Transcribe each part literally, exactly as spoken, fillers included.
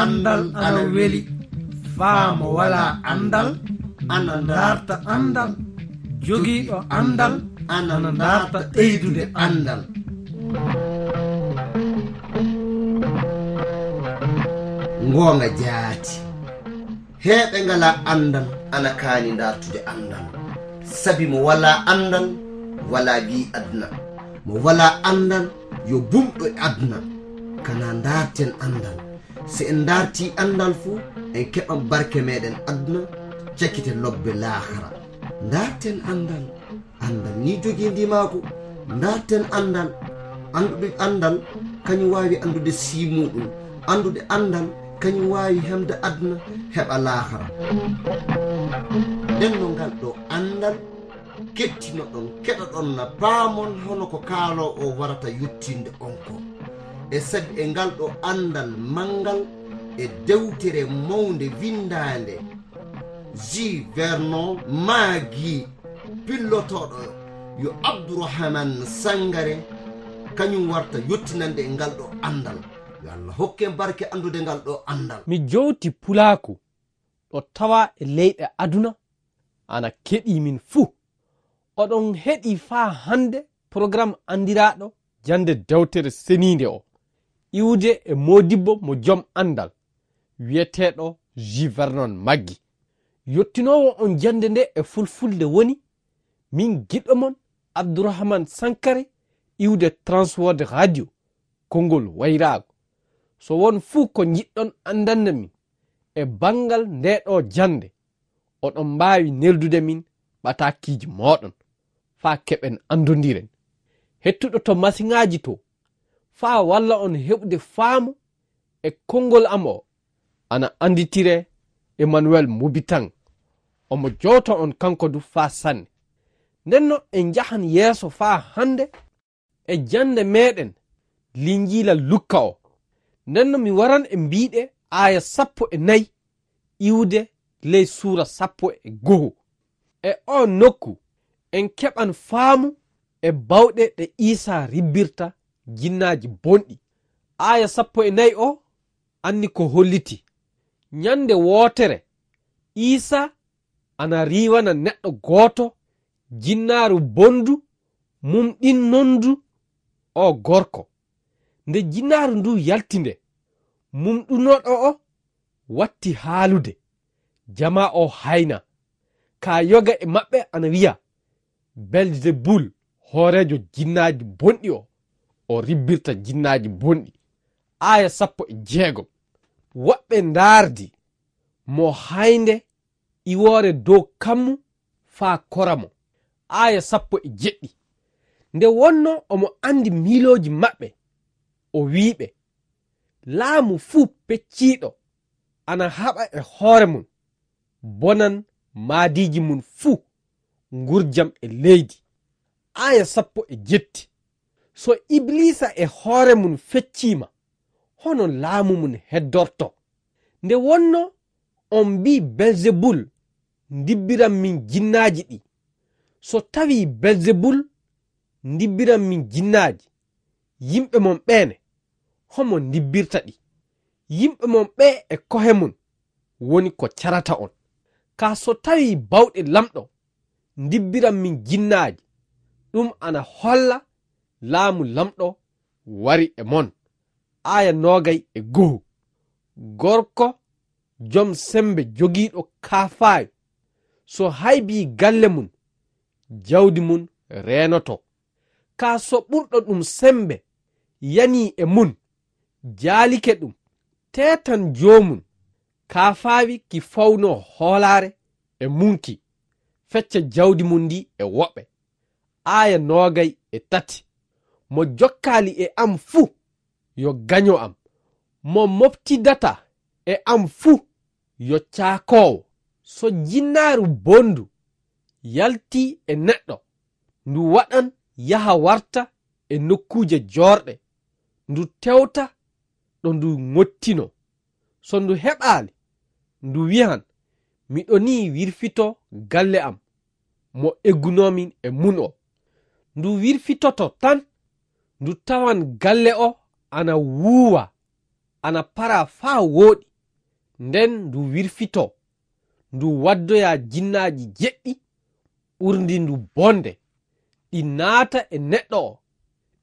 anndal ana weli. Faa mo walaa anndal ana ndaarta anndal. Jogiiɗo anndal ana ndaarta ɓeydude anndal. Ngoonga jaati. Heeɓe ngalaa anndal ana kaani ndaartude anndal. Sabi mo walaa anndal, walaa gi'i aduna. Mo walaa anndal, yo bumɗo e aduna. Kana ndaarten anndal. Si en ndaartii anndal fu, en keɓan barke meɗen aduna, cakite lobbe laakara. Ndaarten anndal. Anndal ni jogii ndimaagu. Ndaarten anndal. Anndude anndal, kañum waawi anndude sii muuɗum. Anndude anndal, kañum waawi hemde aduna, heɓa laakara. Nden no ngal ɗo anndal, kettinoɗon, keɗoɗon na paamon hono ko kaaloo o warata yottinde on ko. E sabi e ngal ɗo anndal manngal e dewtere mawnde winndaande, J. Vernon Maggi, pillotooɗo yo Abdourahmane Sangare, kañum warta yottinande e ngal ɗo anndal. Yo Allah hokken barke anndude ngal ɗo anndal. Mi jowti pulaaku ɗo tawa e leyɗe aduna, ana keɗii min fuu. Oɗon heɗii faa hannde programme anndiraaɗo jannde dewtere seniinde o, iwde e moodibbo mo jom anndal, wiyeteeɗo J. Vernon Maggi. Yottinoowo on jannde nde e fulfulde woni min giɗɗo mon Abdourahmane Sankare, iwde Transworld Radio, konngol wayraago. So won fuu ko njiɗɗon anndande min e banngal nde ɗo jannde, oɗon mbaawi neldude min ɓataakiiji mooɗon faa keɓen anndondiren. Hettuɗo to masiŋaaji to, faa walla on heɓude faamu e konngol am o, ana annditire Emmanuel Mobitang. Omo jowta on kanko du faa sanne. Ndenno en njahan yeeso faa hannde e jannde meɗen Linjiila Lukka o. Ndenno mi waran e mbiiɗe aaya sappo e nayi iwde ley suura sappo e go'o. E oo nokku, en keɓan faamu e bawɗe ɗe Iisaa ribbirta jinnaaji bonɗi. Aaya sappo e nayi o anni ko holliti. Ñande wootere, Iisaa ana riiwana neɗɗo gooto jinnaaru bondu mumɗinnondu o gorko. Nde jinnaaru ndu yalti nde, mumɗunooɗo o watti haalude, jamaa o hayna. Ka yoga e maɓɓe ana wiya, Belzebul, hooreejo jinnaaji bonɗi o, o ribbirta jinnaaji bonɗi. Aaya sappo e jeegom. Woɓɓe ndaardi mo haynde iwoore dow kammu faa kora mo. Aaya sappo e jeɗɗi. Nde wonno omo anndi miilooji maɓɓe, o wi'i ɓe, laamu fuu pecciiɗo ana haɓa e hoore mum, bonan maadiiji mum fuu, ngurjam e leydi. Aaya sappo e jetti. So Ibliisa e hoore mum fecciima, hono laamu mum heddorto? Nde wonno on mbii Belzebul ndibbiran min jinnaaji ɗi. So tawii Belzebul ndibbiran min jinnaaji, yimɓe mon ɓeene, homo ndibbirta ɗi? Yimɓe mon ɓee e kohe mum woni ko carata on. Kaa so tawii bawɗe Lamɗo ndibbiran min jinnaaji, ɗum ana holla laamu Lamɗo wari e mon. Aaya noogay e go'o. Gorko jom semmbe jogiiɗo kaafaawi, so haybii galle mum, jawdi mum reenoto. Kaa so ɓurɗo ɗum semmbe yanii e mum, jaalike ɗum, teetan joomum, kaafaawi ki fawnoo hoolaare e mum ki, fecca jawdi mum ndi e woɓɓe. Aaya noogay e tati. Mo jokkaali e am fuu, yo gaño am. Mo moftidataa e am fuu, yo caakoowo. So jinnaaru bondu yaltii e neɗɗo, ndu waɗan yaha warta e nokkuuje joorɗe, ndu tewta ɗo ndu ŋottinoo. So ndu heɓaali, ndu wi'an, miɗo nii wirfitoo galle am, mo eggunoomi e mum o. Ndu wirfitoto tan, ndu tawan galle o ana wuuwa, ana para faa wooɗi, nden ndu wirfitoo, ndu waddoya jinnaaji jeɗɗi ɓurndi ndu bonde, ɗi naata e neɗɗo o,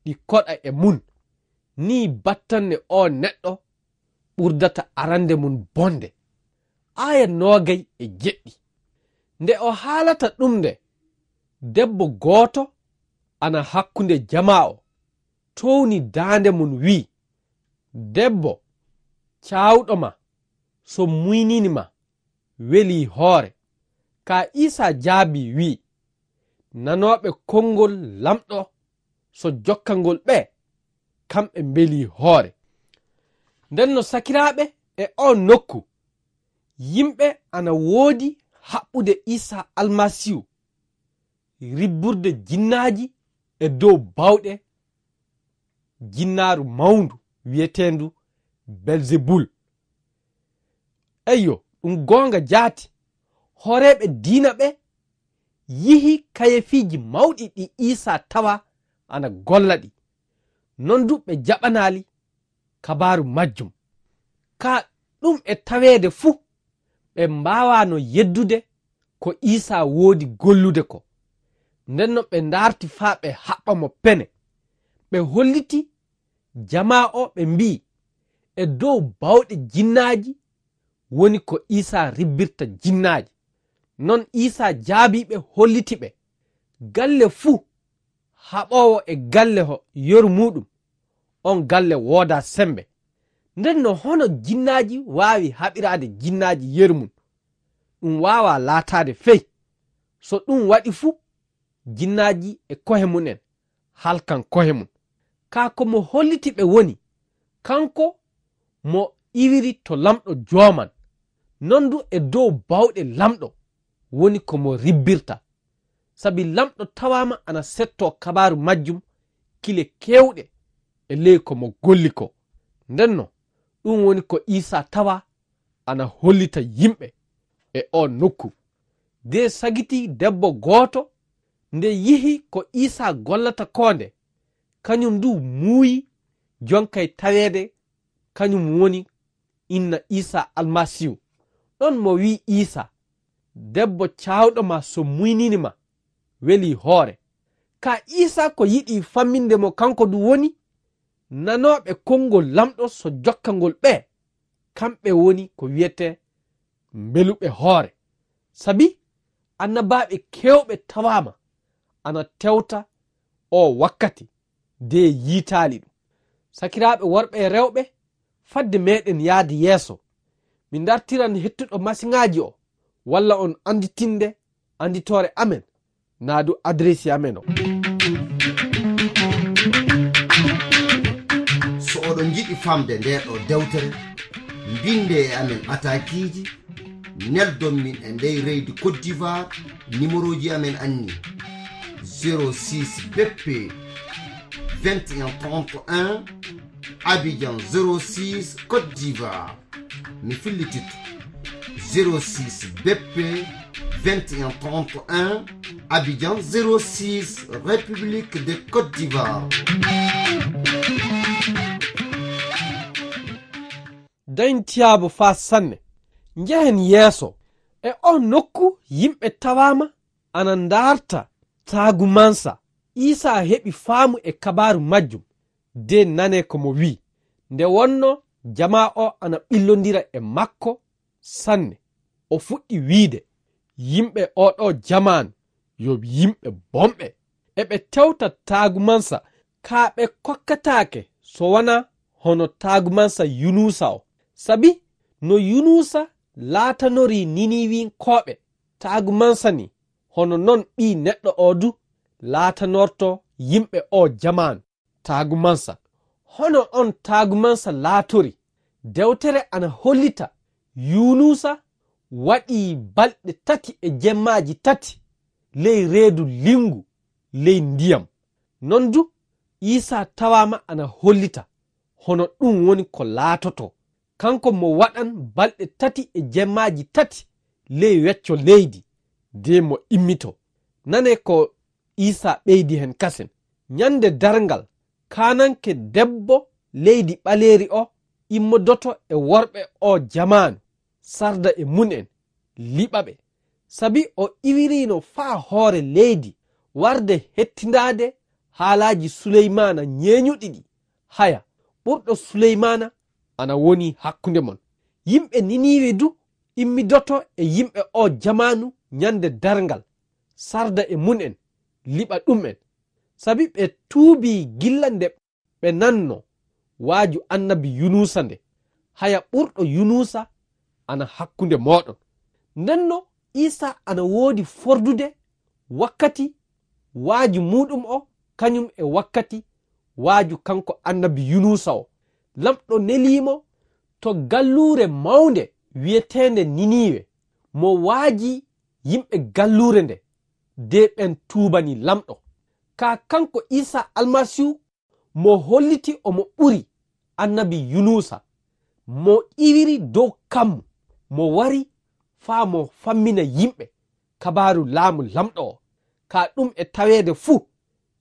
ɗi koɗa e mun. Nii battanne oo neɗɗo ɓurdata arande mun bonde. Aaya noogay e jeɗɗi. Nde o haalata ɗum nde, debbo gooto ana hakkunde jamaa o, towni daande mun wi'i, "Debbo, caawɗo ma, so muynini ma, welii hoore." Ka Iisaa jaabii wi'i, "Nanooɓe konngol Lamɗo so jokkangol ɓe, kamɓe mbelii hoore." Nden no sakiraaɓe e oo nokku, yimɓe ana woodi haɓɓude Iisaa Almasiihu, ribburde jinnaaji e dow bawɗe jinnaaru mawndu wi'eteendu Belzebul. Eyyo, ɗum goonga jaati, hooreeɓe diina ɓe yihi kayefiiji mawɗi ɗi Iisaa tawa ana golla ɗi. Non du ɓe jaɓanaali kabaaru majjum. Ka ɗum e taweede fuu, ɓe mbaawaano yeddude ko Iisaa woodi gollude ko. Nden no ɓe ndaarti faa ɓe haɓɓa mo pene. Ɓe holliti jamaa o, ɓe mbi'i, "E dow bawɗe jinnaaji woni ko Iisaa ribbirta jinnaaji." Non Iisaa jaabii ɓe, holliti ɓe, "Galle fuu haɓoowo e galle ho yeru muuɗum, on galle woodaa sembe." Nden no hono jinnaaji waawi haɓiraade jinnaaji yeru mum? Ɗum waawaa laataade fey. So ɗum waɗi fu, jinnaaji e kohe mum en halkan kohe mum. Kaa ko mo holliti ɓe woni kanko mo iwiri to Lamɗo jooman, non du e dow bawɗe Lamɗo woni ko mo ribbirta. Sabi Lamɗo tawaama ana settoo kabaaru majjum kile keewɗe e ley ko mo golli ko. Ndenno, ɗum woni ko Iisaa tawa ana hollita yimɓe e oo nokku. De sagiti debbo gooto, nde yihi ko Iisaa gollata koo nde, kañum du muuyi jonkay taweede kañum woni inna Iisaa Almasiihu. Ɗon mo wi'i Iisaa, "Debbo caawɗo ma so muynini ma, welii hoore." Kaa Iisaa ko yiɗi famminde mo kanko du woni, nanooɓe konngol Lamɗo so jokkangol ɓe, kamɓe woni ko wi'etee mbeluɓe hoore. Sabi annabaaɓe keewɓe tawaama ana tewta oo wakkati, de yiitaali ɗum. Sakiraaɓe worɓe e rewɓe, fadde meɗen yaade yeeso, mi dartiran hettuɗo masiŋaaji o, walla on annditinde annditoore amen, naa du adresi amen o. So oɗon njiɗi famde ndee ɗoo dewtere, mbinde e amen ɓataakiiji, neldon min e ndey leydi Côte d'Ivoire, nimerooji amen anni: zéro six B P vingt et un trente et un, Abidjan zéro six, Côte d'Ivoire. Mi fillititto: zéro six B P vingt et un trente et un, Abidjan zéro six, République de Côte d'Ivoire. Dañtiyaabo faa sanne. Njehen yeeso. E oo nokku yimɓe tawaama ana ndaarta taagumansa. Iisaa heɓi faamu e kabaaru majjum, de nanee ko mo wi'i. Nde wonnoo jamaa o ana ɓillondira e makko sanne, o fuɗɗi wi'ude, "Yimɓe oo ɗoo jamaanu yo yimɓe bonɓe. Eɓe tewta taagumansa, kaa ɓe kokkataake so wanaa hono taagumansa Yunuusa o. Sabi no Yunuusa laatanorii Niniwinkooɓe taagumansa nii, hono non Ɓii Neɗɗo o du laatanorto yimɓe oo jamaanu taagumansa." Hono on taagumansa laatori, dewtere ana hollita Yunuusa waɗii balɗe tati e jemmaaji tati ley reedu linngu ley ndiyam. Non du, Iisaa tawaama ana hollita hono ɗum woni ko laatotoo. Kanko mo waɗan balɗe tati e jemmaaji tati ley wecco leydi, de mo immitoo. Nanee ko Iisaa ɓeydi hen kasen. Ñande darngal, kaananke debbo leydi ɓaleeri o immodoto e worɓe o jamaanu, sarda e mum en, liɓa ɓe. Sabi o iwiriino faa hoore leydi, warde hettindaade haalaaji Suleymaana ñeeñuɗi ɗi, haya, ɓurɗo Suleymaana ana woni hakkunde mon. Yimɓe Niniiwe du immidoto e yimɓe o jamaanu ñande darngal, sarda e mum en, liɓa ɗum en. Sabi ɓe tuubii gilla nde ɓe nanno waaju annabi Yunusa nde, haya ɓurɗo Yunusa ana hakkunde mooɗon. Ndenno Isa ana woodi fordude wakkati waaju muuɗum o, kañum e wakkati waaju kanko annabi Yunusa o. Lamɗo neliimo to galluure mawnde wi'eteende Niniiwe, mo waaji yimɓe galluure nde, de ɓen tuubani Lamɗo. Kaa kanko Isa Almasiihu mo holliti omo ɓuri annabi Yunusa, mo iwiri dow kammu, mo wari faa mo fammina yimɓe kabaaru laamu Lamɗo o. Kaa ɗum e taweede fuu,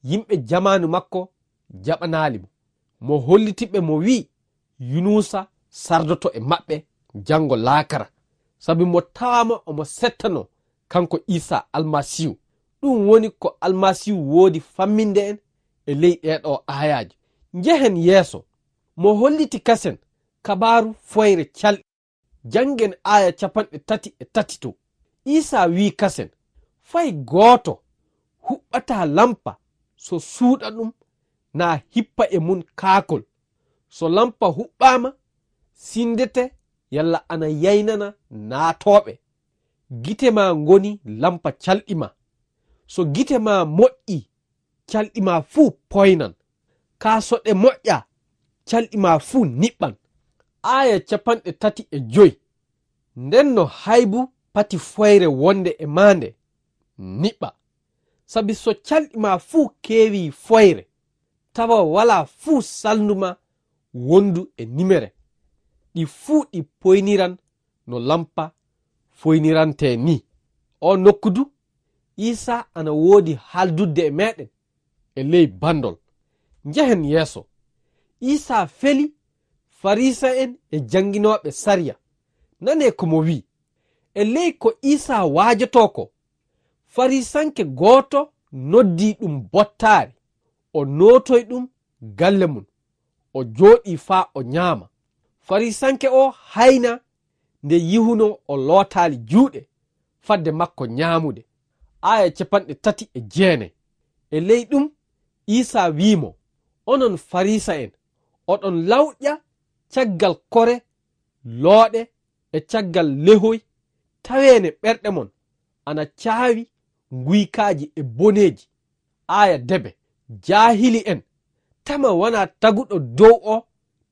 yimɓe jamaanu makko jaɓanaali mo. Mo holliti ɓe mo wi'i, Yunusa sardoto e maɓɓe janngo laakara, sabi mo tawaama omo settanoo kanko Isa Almasiihu. Ɗum woni ko Almasiihu woodi famminde en e ley ɗee ɗoo aayaaje. Njehen yeeso. Mo holliti kasen kabaaru foyre calɗi. Janngen aaya capanɗe tati e tati to. Isa wi'i kasen, fay gooto huɓɓataa lampa so suuɗa ɗum naa hippa e mum kaakol. So lampa huɓɓaama, sinndete yalla ana yaynana naatooɓe. Gite maa ngoni lampa calɗi maa. So gite maa moƴƴii, calɗi maa fuu poynan. Kaa so ɗe moƴƴaa, calɗi maa fuu niɓɓan. Aaya capanɗe tati e joy. Ndenno haybu pati foyre wonde e maa nde niɓɓa. Sabi so calɗi maa fuu keewii foyre, tawa walaa fuu salndu maa wondu e nimere, ɗi fuu ɗi poyniran no lampa foynirantee nii. O nokku du, Iisaa ana woodi haaldudde e meeɗen e ley banndol. Njehen yeeso. Iisaa feli Fariisa'en e jannginooɓe sariya. Nanee ko mo wi'i. E ley ko Iisaa waajotoo ko, Fariisanke gooto noddii ɗum bottaari, o nootoy ɗum galle mum, o jooɗii faa o ñaama. Fariisanke oo haayna nde yihunoo o lootaali juuɗe fadde makko ñaamude. Aaya capanɗe tati e jeenay. E ley ɗum, Iisaa wi'i mo, onon Fariisa'en, oɗon lawƴa caggal kore, looɗe e caggal lehoy, taweene ɓerɗe mon ana caawi nguykaaji e boneeji. Aaya debe, jaahili'en, tama wanaa taguɗo dow oo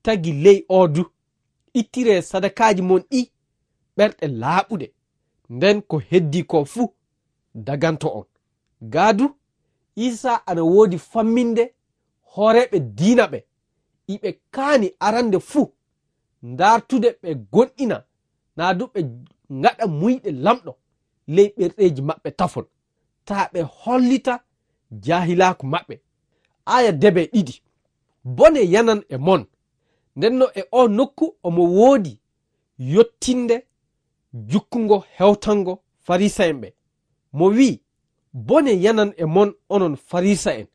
tagi ley oo du. Ittiree sadakaaji mon ɗii ɓerɗe laaɓuɗe, nden ko heddii koo fuu daganto on. Gaa du, Iisaa ana woodi famminde hooreeɓe diina ɓe, iɓe kaani arande fuu ndaartude ɓe gomɗina, naa du ɓe ngaɗa muyɗe Lamɗo ley ɓerɗeeji maɓɓe tafon, taa ɓe hollita jaahilaaku maɓɓe. Aaya debe ɗiɗi. Bone yanan e mon. Ndenno e oo nokku omo woodi yottinde jukkungo hewtango Fariisa'en ɓe. Mo wi'i, bone yanan e mon onon Fariisa'en.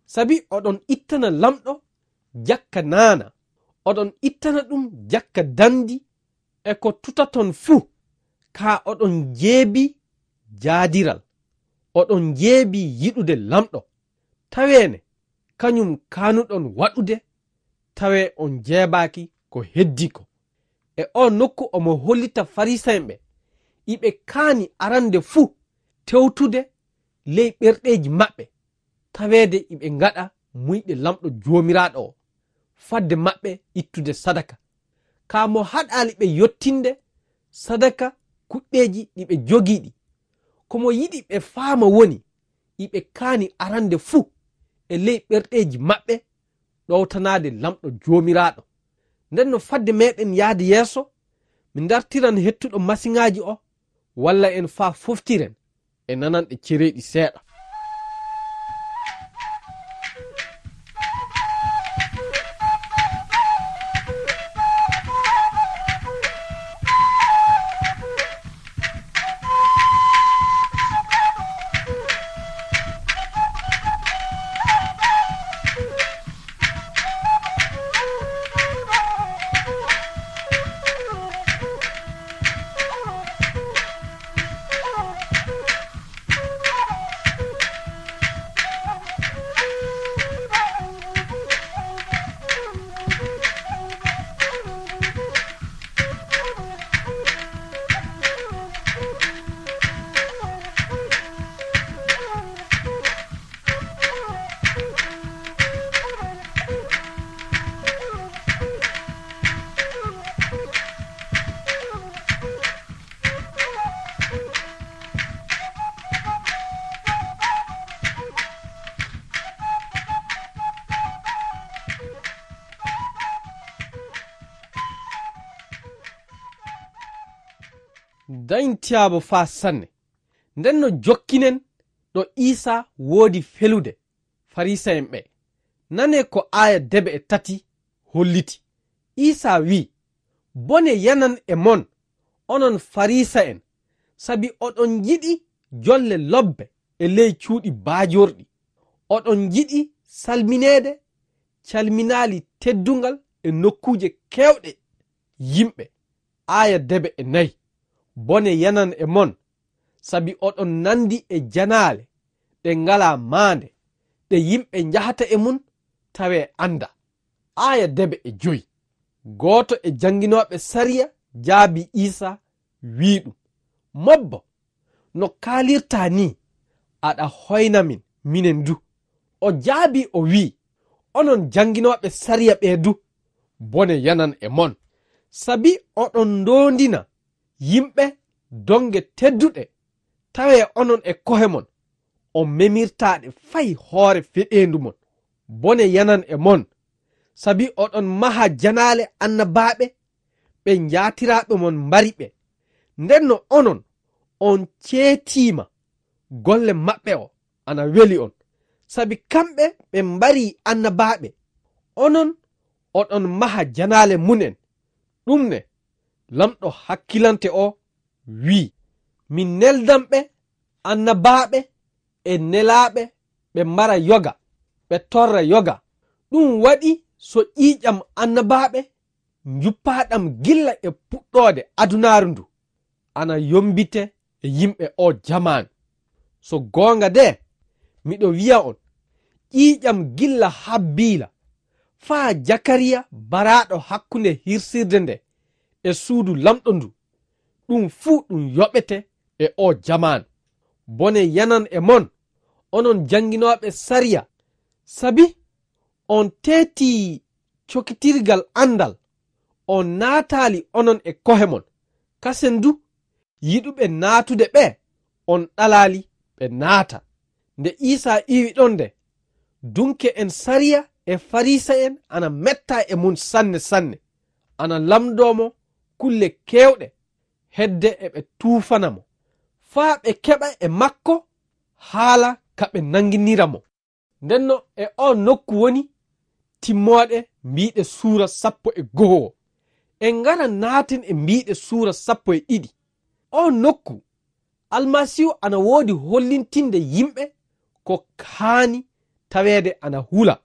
Sabi oɗon ittana Lamɗo jakka naana, oɗon ittana ɗum jakka danndi e ko tutaton fuu, kaa oɗon njeebii jaadiral, oɗon njeebii yiɗude Lamɗo. Taweene, kañum kaanuɗon waɗude, tawee on njeebaaki ko heddii ko. E oo nokku omo hollita Fariisa'en ɓe, iɓe kaani arande fuu tewtude ley ɓerɗeeji maɓɓe, taweede iɓe ngaɗa muyɗe Lamɗo Joomiraaɗo o, fadde maɓɓe ittude sadaka. Kaa mo haɗaali ɓe yottinde sadaka kuɗɗeeji ɗi ɓe jogii ɗi. Ko mo yiɗi ɓe faama woni, iɓe kaani arande fuu e ley ɓerɗeeji maɓɓe ɗowtanaade Lamɗo Joomiraaɗo. Nden no fadde meeɗen yahde yeeso, mi ndartiran hettuɗo masiŋaaji o, walla en faa foftiren e nananɗe cereeɗi seeɗa. Dañin tiyaabo faa sanne. Nden no jokkinen ɗo Iisaa woodi felude Farisa'en ɓe. Nanee ko aaya debe e tati holliti. Iisaa wi'i, "Bone yanan e mon, onon Farisa'en, sabi oɗon njiɗi jolle lobbe e ley cuuɗi baajorɗi. Oɗon njiɗi salmineede calminaali teddungal e nokkuuje keewɗe yimɓe." Aaya debe e nayi. "Bone yanan e mon, sabi oɗon nandi e janaale ɗe ngalaa maande, ɗe yimɓe njahata e mun tawee anda." Aaya debe e joyi. Gooto e jannginooɓe sariya jaabii Iisaa, wi'i ɗum, "Mobbo, no kaalirtaa nii, aɗa hoyna min, minen du." O jaabii o wi'i, "Onon jannginooɓe sariya ɓee du, bone yanan e mon, sabi oɗon ndoondina yimɓe donge tedduɗe, tawee onon e kohe mon, on memirtaa ɗe fay hoore feɗeendu mon. Bone yanan e mon, sabi oɗon maha janaale annabaaɓe ɓe njaatiraaɓe mon mbari ɓe. Nden no onon, on ceetiima golle maɓɓe o ana weli on, sabi kamɓe ɓe mbari annabaaɓe, onon oɗon maha janaale mum en. Ɗum ne, Lamɗo hakkilante o wi'i, min neldan ɓe annabaaɓe e nelaaɓe ɓe mbara yoga, ɓe torra yoga. Ɗum waɗi so ƴiiƴam annabaaɓe njuppaaɗam gilla e puɗɗoode adunaaru ndu, ana yombite e yimɓe o jamaanu. So goonga de, miɗo wi'a on, ƴiiƴam gilla Habbiila faa Jakariya baraaɗo hakkunde hirsirde nde e suudu Lamɗo ndu, ɗum fuu ɗum yoɓete e o jamaanu. Bone yanan e mon, onon jannginooɓe sariya, sabi on teetii cokitirgal andal, on naataali onon e kohe mon. Kasen du, yiɗuɓe naatude ɓe, on ɗalaali ɓe naata. Nde Iisaa iwi ɗon nde, dunke en sariya e Farisa'en ana metta e mun sanne sanne, ana lamndoo mo kulle keewɗe, hedde eɓe tuufana mo, faa ɓe keɓa e makko haala ka ɓe nannginira mo. Ndenno e oo nokku woni timmooɗe mbiiɗe suura sappo e go'o. En ngara naaten e mbiiɗe suura sappo e ɗiɗi. Oo nokku, Almasiihu ana woodi hollintinde yimɓe ko haani taweede ana hula.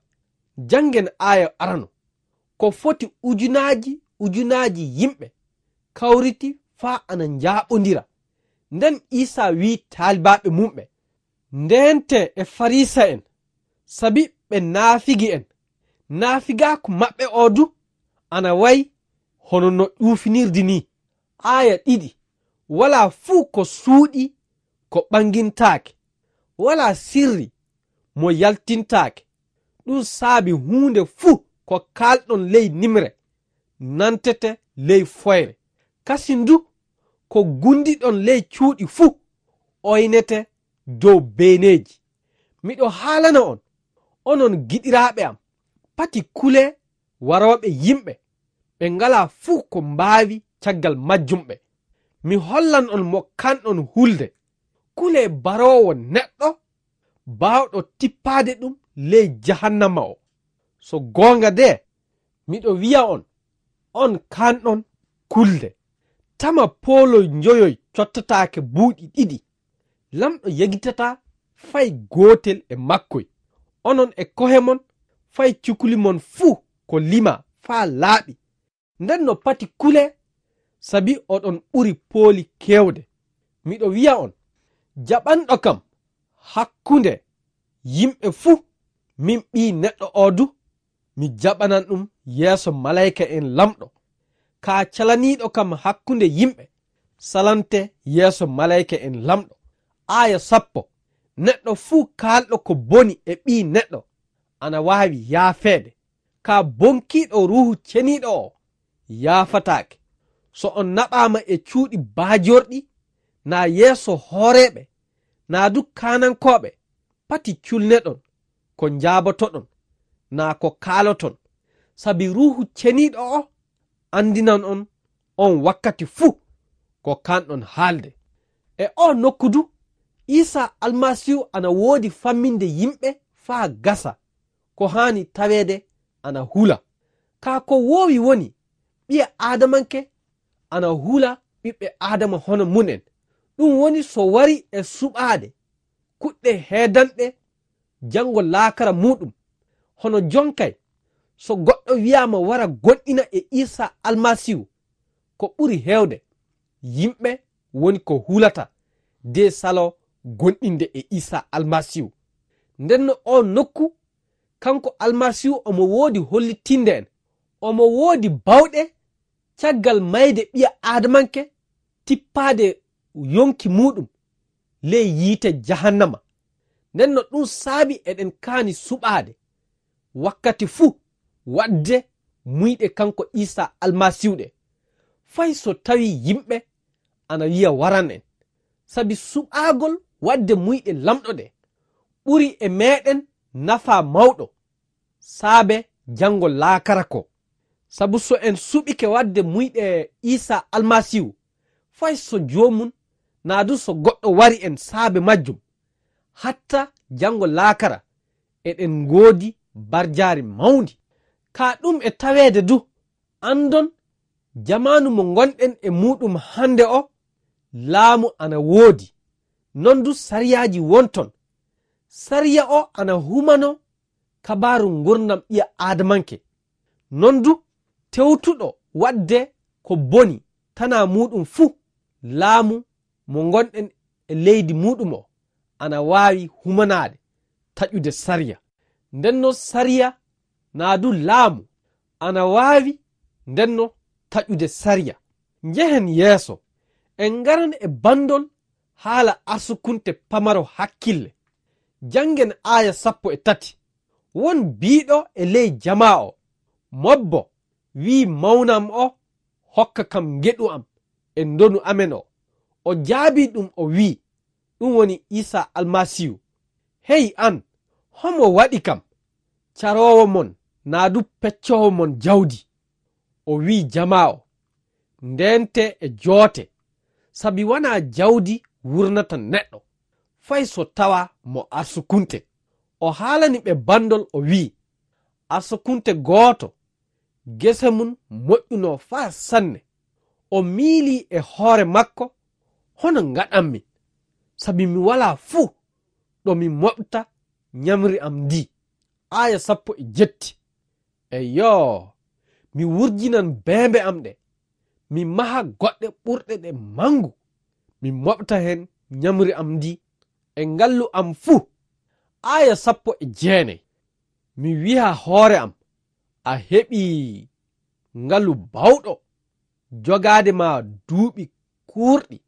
Janngen aaya arano. Ko foti ujunaaji ujunaaji yimɓe kawriti faa ana njaaɓondira. Nden Iisaa wi'i taalibaaɓe mumɓe, "Ndeentee e Farisa'en, sabi ɓe naafigi'en. Naafigaaku maɓɓe oo du ana wa'i hono no ƴuufinirdi nii." Aaya ɗiɗi, walaa fuu ko suuɗii ko ɓanngintaake, walaa sirri mo yaltintaake. Ɗum saabi huunde fuu ko kaalɗon ley nimre, nantete ley foyre. Kasin du, ko gunndiɗon ley cuuɗi fuu, oynete dow beeneeji. Miɗo haalana on, onon giɗiraaɓe am, pati kulee warooɓe yimɓe, ɓe ngalaa fuu ko mbaawi caggal majjum ɓe. Mi hollan on mo kanɗon hulde. Kulee baroowo neɗɗo baawɗo tippaade ɗum ley jahannama o. So goonga de, miɗo wi'a on, on kanɗon kulde. Tama pooloy njoyoy cottataake buuɗi ɗiɗi, Lamɗo yegitataa fay gootel e makkoy. Onon e kohe mon, fay cukuli mon fuu ko limaa faa laaɓi. Nden no pati kulee, sabi oɗon ɓuri pooli keewde. Miɗo wi'a on, jaɓanɗo kam hakkunde yimɓe fuu, min Ɓii Neɗɗo oo du, mi jaɓanan ɗum yeeso malayka'en Lamɗo. Kaa calaniiɗo kam hakkunde yimɓe, salante yeeso malayka'en Lamɗo. Aaya sappo, neɗɗo fuu kaalɗo ko boni e Ɓii Neɗɗo ana waawi yaafeede. Kaa bonkiiɗo Ruuhu Ceniiɗo oo yaafataake. So on naɓaama e cuuɗi baajorɗi, naa yeeso hooreeɓe, naa du kaanankooɓe, pati culneɗon ko njaabotoɗon, naa ko kaaloton. Sabi Ruuhu Ceniiɗo oo anndinan on on wakkati fuu ko kanɗon haalde. E oo nokku du, Iisaa Almasiihu ana woodi famminde yimɓe faa gasa ko haani taweede ana hula. Kaa ko woowi woni, ɓiya aadamanke ana hula ɓiɓɓe aadama hono mum en. Ɗum woni so warii e suɓaade kuɗɗe heedanɗe janngo laakara muuɗum. Hono jonkay, so goɗɗo wiyaama wara goonɗina e Iisaa Almasiihu, ko ɓuri heewde, yimɓe woni ko hulata de saloo goonɗinde e Iisaa Almasiihu. Ndenno oo nokku, kanko Almasiihu omo woodi hollitinde en, omo woodi baawɗe caggal mayde ɓiya aadamanke tippaade yonki muuɗum ley yiite jahannama. Ndenno ɗum saabi eɗen kaani suɓaade wakkati fuu waɗde muyɗe kanko Iisaa Almasiihu ɗe, fay so tawii yimɓe ana wiya waran en. Sabi suɓaagol waɗde muyɗe Laamɗo ɗe ɓuri e meeɗen nafaa mawɗo saabe janngo laakara ko. Sabu so en suɓike waɗde muyɗe Iisaa Almasiihu, fay so joomum naa du so goɗɗo wari en saabe majjum, hatta janngo laakara eɗen ngoodi barjaari mawndi. Kaa ɗum e taweede du, anndon jamaanu mo ngonɗen e muuɗum hannde o, laamu ana woodi, non du sariyaaji won ton. Sariya o ana humanoo kabaaru ngurndan ɓiya aadamanke. Non du, tewtuɗo waɗde ko boni tanaa muuɗum fuu, laamu mo ngonɗen e leydi muuɗum o ana waawi humanaade taƴude sariya. Ndenno sariya naa du laamu ana waawi ndenno taƴude sariya. Njehen yeeso, en ngaran e banndol haala arsukunte pamaro hakkille. Janngen aaya sappo e tati. Won biiɗo e ley jamaa o, "Mobbo," wi'i, "mawnam o hokka kam ngeɗu am e ndonu amen o." O jaabii ɗum o wi'i, "Ɗum woni Iisaa Almasiihu." "Hey aan, homo waɗi kam? Caroowo mon naa du peccoowo mon jawdi?" O wi'i jamaa o, "Ndeentee e joote, sabi wanaa jawdi wurnata neɗɗo, fay so tawaa mo arsukunte." O haalani ɓe banndol o wi'i, "Arsukunte gooto gese mum moƴƴunoo faa sanne. O miilii e hoore makko, 'Hono ngaɗanmi, sabi mi walaa fuu ɗo mi moɓta nyamri am ndii.'" Aaya sappo e jetti. "Eyyo, mi wurjinan beembe am ɗe, mi maha goɗɗe ɓurɗe ɗe manngu, mi moɓta heen nyamri am ndii e ngallu am fuu." Aaya sappo e jeenay. "Mi wi'a hoore am, 'A heɓii ngalu baawɗo jogaade ma duuɓi kuurɗi.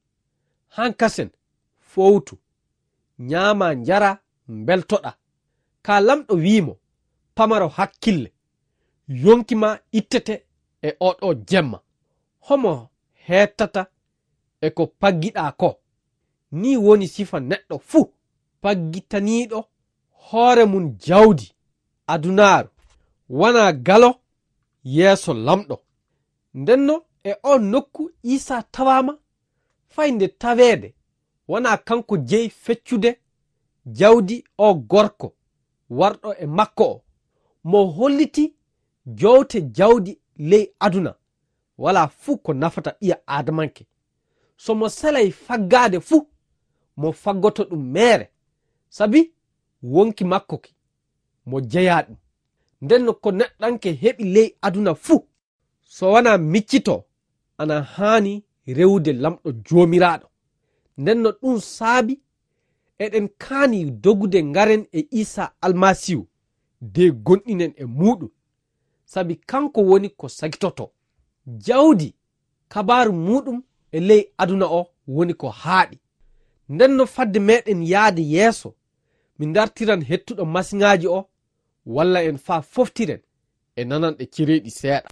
Haa kasen, fowtu, nyaama, njara, mbeltoɗaa.' Kaa Laamɗo wi'i mo, 'Pamaro hakkille, yonki ma ittete e oo ɗoo jemma. Homo heettata e ko paggiɗaa ko?' Nii woni sifa neɗɗo fuu paggitaniiɗo hoore mum jawdi adunaaru, wanaa galo yeeso Laamɗo. Ndenno e oo nokku Iisaa tawaama, fay nde taweede wanaa kanko jeyi feccude jawdi oo gorko warɗo e makko o, mo holliti jowte jawdi ley aduna, walaa fuu ko nafata ɓiya aadamanke. So mo selay faggaade fuu, mo faggoto ɗum meere, sabi wonki makko ki, mo jeyaa ɗum. Ndenno ko neɗɗanke heɓi ley aduna fuu, so wanaa miccito, ana haani rewude Laamɗo Joomiraaɗo. Ndenno ɗum saabi eɗen kaani dogude ngaren e Iisaa Almasiihu, de gonɗinen e muuɗum, sabi kanko woni ko sagitotoo. Jawdi kabaaru muuɗum e ley aduna o woni ko haaɗi. Ndenno fadde meɗen yaade yeeso, mi dartiran hettuɗo masiŋaaji o, walla en faa foftiren e nananɗe cereeɗi seeɗa.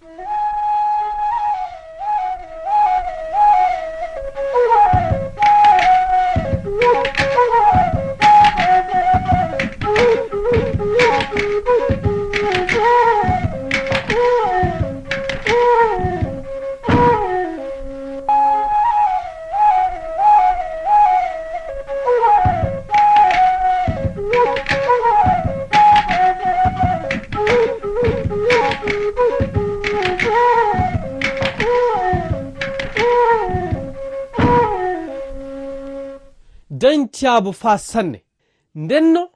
Ɓen caabo faa sanne. Ndenno,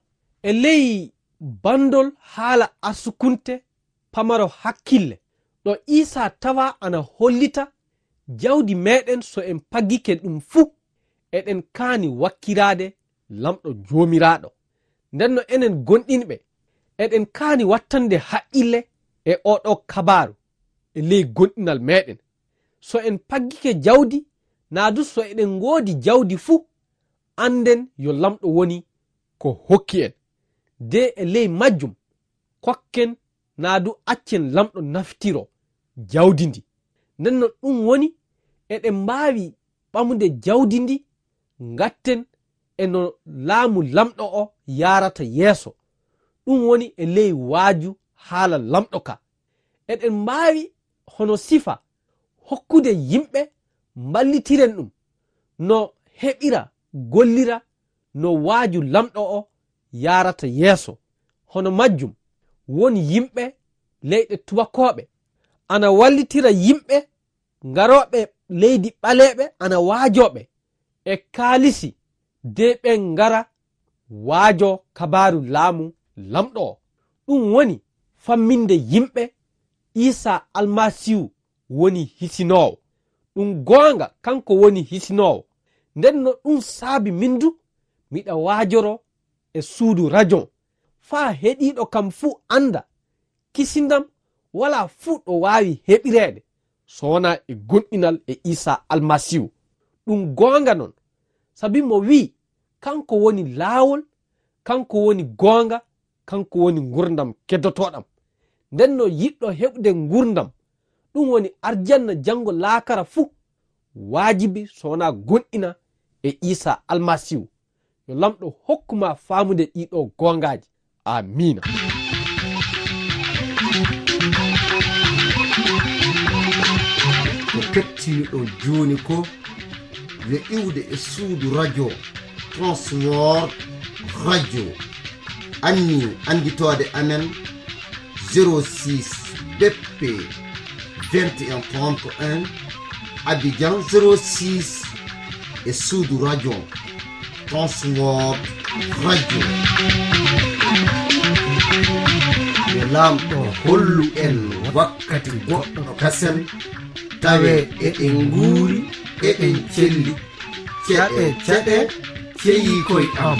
e ley banndol haala arsukunte pamaro hakkille, ɗo Iisaa tawaa ana hollita jawdi meeɗen, so en paggike ɗum fuu, eɗen kaani wakkiraade Laamɗo Joomiraaɗo. Ndenno, enen gonɗinɓe, eɗen kaani wattande haqqille e oo ɗoo kabaaru e ley gonɗinal meeɗen. So en paggike jawdi, naa du so eɗen ngoodi jawdi fuu, annden yo Laamɗo woni ko hokki en. De e ley majjum, kokken naa du accen Laamɗo naftiroo jawdi ndi. Ndenno, ɗum woni, eɗen mbaawi ɓamude jawdi ndi, ngatten e no laamu Laamɗo o yaarata yeeso. Ɗum woni e ley waaju haala Laamɗo ka. Eɗen mbaawi hono sifa hokkude yimɓe mballitiren ɗum no heɓira gollira no waaju Laamɗo o yaarata yeeso. Hono majjum, won yimɓe leyɗe tubakooɓe ana wallitira yimɓe ngarooɓe leydi ɓaleeɓe ana waajooɓe e kaalisi de ɓen ngara waajoo kabaaru laamu Laamɗo o. Ɗum woni famminde yimɓe Iisaa Almasiihu woni hisinoowo. Ɗum goonga, kanko woni hisinoowo. Ndenno ɗum saabi min du miɗa waajoroo e suudu rajon, faa heɗiiɗo kam fuu annda kisindam walaa fuu ɗo waawi heɓireede so wonaa e gomɗinal e Iisaa Almasiihu. Ɗum goonga non, sabi mo wi'i, kanko woni laawol, kanko woni goonga, kanko woni ngurndan keddotooɗam. Ndenno yiɗɗo heɓude ngurndan, ɗum woni arjanna janngo laakara fuu, waajibi so wonaa gomɗina e Iisaa Almasiihu. Yo Laamɗo hokku maa faamude ɗii ɗoo goongaaji. Amiina. Ko kettiniɗon jooni ko yo iwde e suudu rajo Transworld Radio. Anni annditoode amen, zéro six B P vingt et un trente et un, Abidjan zéro six, e suudu rajo Transworld Radio. Yo Laamɗo hollu en wakkati goɗɗo kasen, tawe eɗen nguuri, eɗen celli. Ceɗe, ceɗe, ceyi koy am.